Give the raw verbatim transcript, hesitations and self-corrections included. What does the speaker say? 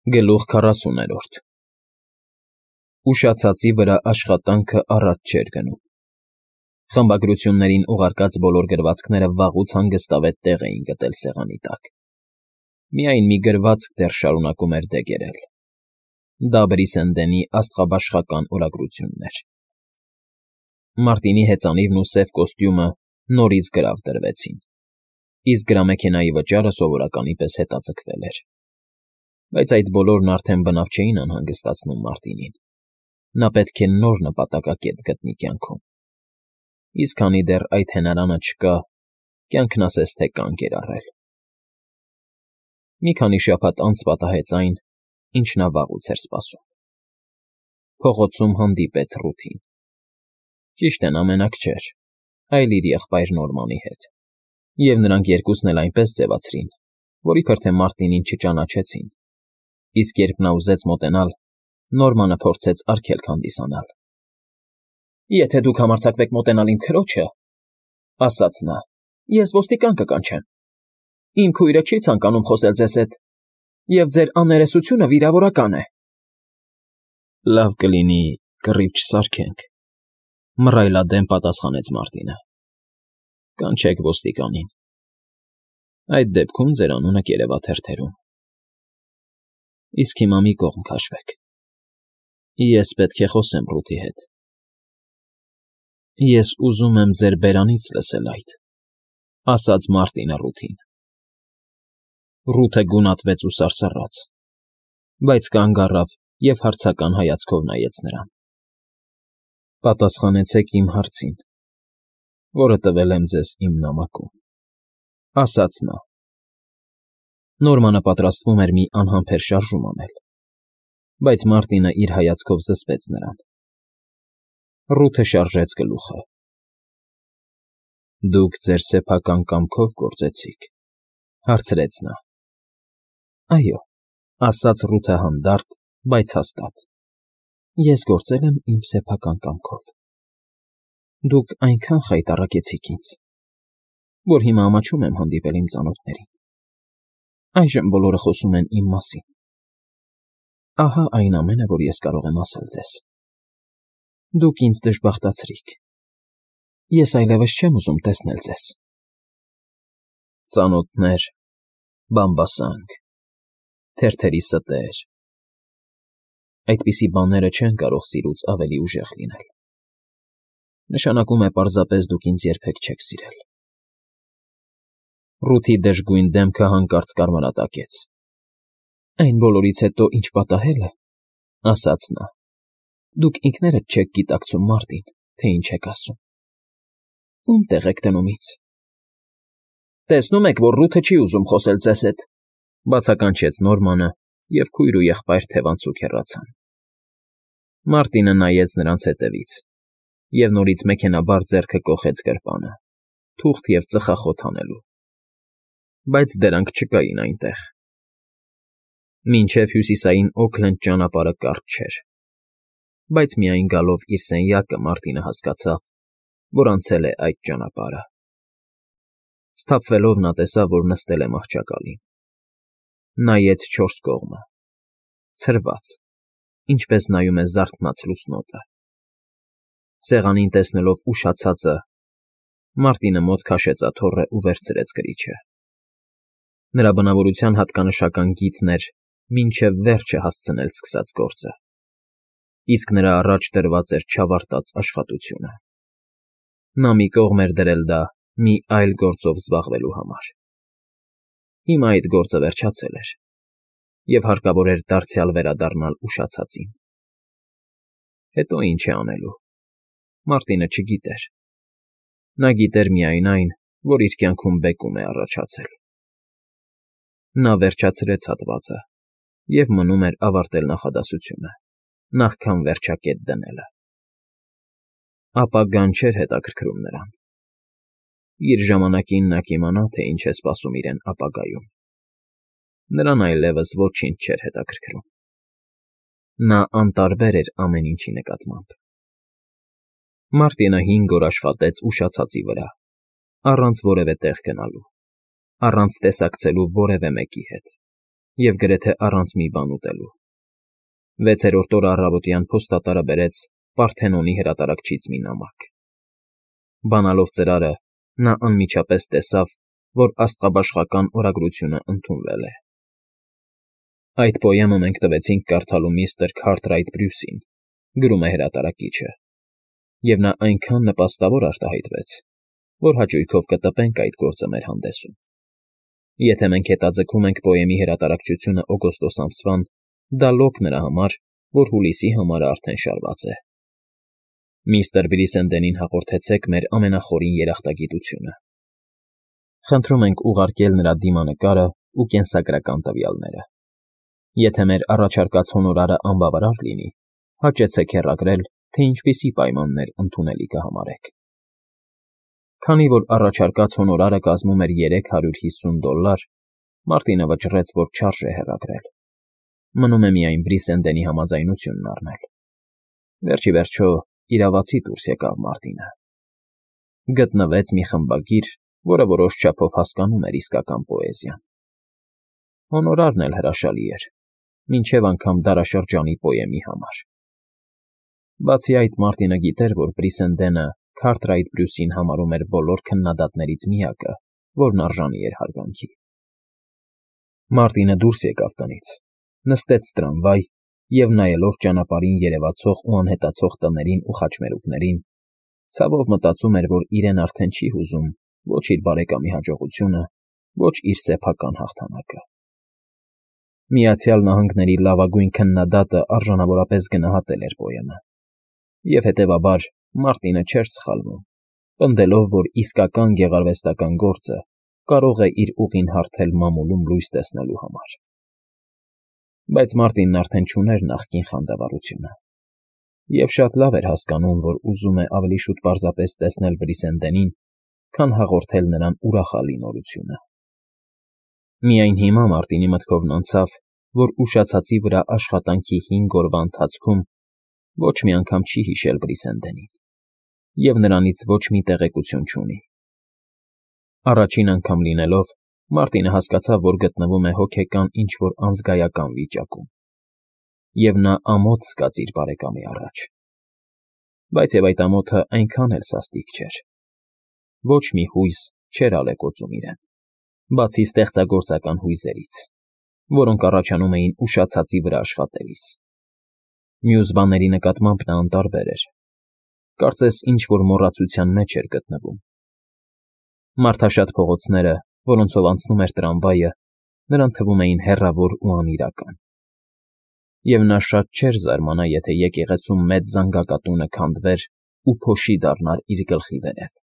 Գլուխ քառասուներորդ Ուշացածի վրա աշխատանքը առաջ չէր գնում։ Խմբագրություններին ուղարկած բոլոր գրվածքները վաղուց հանգստավետ տեղ էին գտել սեղանի տակ։ Միայն մի գրվածք դեռ շարունակում էր դեգերել. դա Բրիսենդենի աստղաբաշխական օրագրությունն էր։ Մարտինի հեծանիվն ու սև կոստյումը նորից գրավ դրվեցին, իսկ գրամեքենայի վճարը սովորականի պես հետաձգվել էր։ Բայց այդ բոլորն արդեն բնավ չէին անհանգստացնում Մարտինին։ Նա պետք է նոր նպատակակետ գտնի կյանքում։ Իսկ քանի դեռ այդ հենարանը չկա, կյանքն ասես թե կանգ էր առել։ Մի քանի շաբաթ անց պատահեց այն, ինչ նա վաղուց էր սպասում։ Փողոցում հանդիպեց Ռութին։ Ճիշտն ամենակ չէր, այլ իր եղբայր Նորմանի հետ, և նրանք երկուսն էլ այնպես ձևացրին, որ իբր թե Մարտինին չճանաչեցին, իսկ երբ նա ուզեց մոտենալ, Նորմանը փորձեց արգելք հանդիսանալ։ «Եթե դուք համարձակվեք մոտենալ իմ քրոջը,֊ ասաց նա,֊ ես ոստիկան կկանչեմ։ Իմ քույրը չի ցանկանում խոսել ձեզ հետ, և ձեր աներեսությունը վիրավորական է»։ «Լավ կլինի կռիվ չսարքենք,֊ մռայլադեմ պատասխանեց Մարտինը։ «Կանչեք ոստիկանին։ Այդ դեպքում ձեր անունը կերևա թերթերում։ Իսկ հիմա մի կողմ քաշվեք, ես պետք է խոսեմ Ռութի հետ»։ «Ես ուզում եմ ձեր բերանից լսել այդ,֊ ասաց Մարտինը Ռութին։ Ռութը գունատվեց ու սարսռաց, բայց կանգ առավ և հարցական հայացքով նայեց նրան։ «Պատասխանեցեք իմ հարցին, որը տվել եմ ձեզ իմ նամակում,֊ ասաց նա։ Նորմանը պատրաստվում էր մի անհամբեր շարժում անել, բայց Մարտինը իր հայացքով զսպեց նրան։ Ռութը շարժեց գլուխը։ «Դուք ձեր սեփական կամքով գործեցի՞ք,֊ հարցրեց նա։ «Այո,֊ ասաց Ռութը հանդարտ, բայց հաստատ,֊ ես գործել եմ իմ սեփական կամքով։ Դուք այնքան խայտառակեցիք ինձ, որ հիմա ամաչում եմ հանդիպել իմ ծանոթներին։ Այժմ բոլորը խոսում են իմ մասին։ Ահա այն ամենը, որ ես կարող եմ ասել ձեզ։ Դուք ինձ դժբախտացրիք։ Ես այլևս չեմ ուզում տեսնել ձեզ»։ Ծանոթներ, բամբասանք, թերթերի ստեր… Այդպիսի բաները չեն կարող սիրուց ավելի ուժեղ լինել։ Նշանակում է պարզապես դուք ինձ երբեք չեք սիրել։ Ռութի դժգույն դեմքը հանկարծ կարմրատակեց։ «Այն բոլորից հետո, ինչ պատահել է,֊ ասաց նա,֊ դուք ինքներդ չեք գիտակցում, Մարտին, թե ինչ եք ասում։ Ում տեղ եք դնում ինձ»։ «Տեսնում եք, որ Ռութը չի ուզում խոսել ձեզ հետ,֊ բացականչեց Նորմանը, և քույր ու եղբայր թևանցուկ հեռացան։ Մարտինը նայեց նրանց հետևից և նորից մեքենաբար ձեռքը կոխեց գրպանը, թուղթ և ծխախոտ հանելու։ Բայց դրանք չկային այնտեղ։ Մինչև հյուսիսային Օքլենդ ճանապարհը կարճ չէր, բայց միայն գալով իր սենյակը Մարտինը հասկացավ, որ անցել է այդ ճանապարհը։ Սթափվելով նա տեսավ, որ նստել է մահճակալին։ Նայեց չորս կողմը, ցրված, ինչպես նայում է զարթնած լուսնոտը։ Սեղանին տեսնելով ուշացածը, Մարտինը մոտ քաշեց աթոռը ու վերցրեց կրիչը։ Նրա բնավորության հատկանշական գիծն էր մինչև վերջը հասցնել սկսած գործը, իսկ նրա առաջ դրված էր չավարտած աշխատությունը։ Նա մի կողմ էր դրել դա մի այլ գործով զբաղվելու համար։ Հիմա այդ գործը վերջացել էր, և հարկավոր էր դարձյալ վերադառնալ ուշացածին։ Հետո ինչ է անելու, Մարտինը չգիտեր։ Նա գիտեր միայն այն, որ իր կյանքում բեկում է առաջացել։ Նա վերջացրեց հատվածը, և մնում էր ավարտել նախադասությունը, նախքան վերջակետ դնելը։ Ապագան չէր հետաքրքրում նրան։ Իր ժամանակին նա կիմանա, թե ինչ է սպասում իրեն ապագայում։ Նրան այլևս ոչինչ չէր հետաքրքրում։ Նա անտարբեր էր ամեն ինչի նկատմամբ։ Մարտինը հինգ օր աշխատեց ուշացածի վրա, առանց որևէ տեղ գնալու, առանց տեսակցելու որևէ մեկի հետ։ և գրեթե առանց մի բան ուտելու։ Վեցերորդ օրը առավոտյան փոստատարը բերեց Պարթենոնի հրատարակչից մի նամակ։ Բանալով ծրարը, նա անմիջապես տեսավ, որ աստղաբաշխական օրագրությունը ընդունվել է։ Այդ պոեմը մենք տվեցինք կարդալու միստր Քարթրայթ Բրյուսին, գրում է հրատարակիչը, և նա այնքան նպաստավոր արտահայտվեց, որ հաճույքով կտպենք այդ գործը մեր հանդեսում։ Եթե մենք հետաձգում ենք պոեմի հրատարակչությունը օգոստոս ամսվան, դա լոկ նրա համար, որ հուլիսի համարը արդեն շարված է։ Միստր Բրիսենդենին հաղորդեցեք մեր ամենախորին երախտագիտությունը։ Խնդրում ենք ուղարկել նրա դիմանկարը ու կենսագրական տվյալները։ Եթե մեր առաջարկած հոնորարը անբավարար լինի, հաճեցեք հեռագրել, թե ինչպիսի պայմաններ ընդունելի կհամարեք։ Քանի որ առաջարկած հոնորարը կազմում էր երեք հարյուր հիսուն դոլլար, Մարտինը վճռեց, որ չարժե հեռագրել։ Մնում է միայն Բրիսենդենի համաձայնությունն առնել։ Վերջ ի վերջո իրավացի դուրս եկավ Մարտինը։ Գտնվեց մի խմբագիր, որը որոշ չափով հասկանում էր իսկական պոեզիան։ Հոնորարն էլ հրաշալի էր, մինչև անգամ դարաշրջանի պոեմի համար։ Բացի այդ, Մարտինը գիտեր, որ Բրիսենդենը Քարթրայթ Բրյուսին համարում էր բոլոր քննադատներից միակը, որն արժանի էր հարգանքի։ Մարտինը դուրս եկավ տնից, նստեց տրամվայ և, նայելով ճանապարհին երևացող ու անհետացող տներին ու խաչմերուկներին, ցավով մտածում էր, որ իրեն արդեն չի հուզում ոչ իր բարեկամի հաջողությունը, ոչ իր սեփական հաղթանակը։ Միացյալ Նահանգների լավագույն քննադատը արժանավորապես գնահատել էր պոեմը, և հետևաբար Մարտինը չէր սխալվում, պնդելով, որ իսկական գեղարվեստական գործը կարող է իր ուղին հարթել մամուլում լույս տեսնելու համար։ Բայց Մարտինն արդեն չուներ նախկին խանդավառությունը, և շատ լավ էր հասկանում, որ ուզում է ավելի շուտ պարզապես տեսնել Բրիսենդենին, քան հաղորդել նրան ուրախալի նորությունը։ Միայն հիմա Մարտինի մտքովն անցավ, որ ուշացածի վրա աշխատանքի հինգ օրվա ընթացքում ոչ մի անգամ չի հիշել Բրիսենդենին և նրանից ոչ մի տեղեկություն չունի։ Առաջին անգամ լինելով, Մարտինը հասկացավ, որ գտնվում է հոգեկան ինչ֊որ անզգայական վիճակում, և նա ամոթ զգաց իր բարեկամի առաջ։ Բայց և այդ ամոթը այնքան էլ սաստիկ չէր։ Ոչ մի հույս չէր ալեկոծում իրեն, բացի ստեղծագործական հույզերից, որոնք առաջանում էին ուշացածի վրա աշխատելիս։ Մյուս բաների նկատմամբ նա անտարբեր էր, կարծես ինչ֊որ մոռացության մեջ էր գտնվում։ Մարդաշատ փողոցները, որոնցով անցնում էր տրամվայը, նրան թվում էին հեռավոր ու անիրական։ Եվ նա շատ չէր զարմանա, եթե եկեղեցում մեծ զանգակատունը քանդվեր ու փոշի դառնար իր գլխի վերև։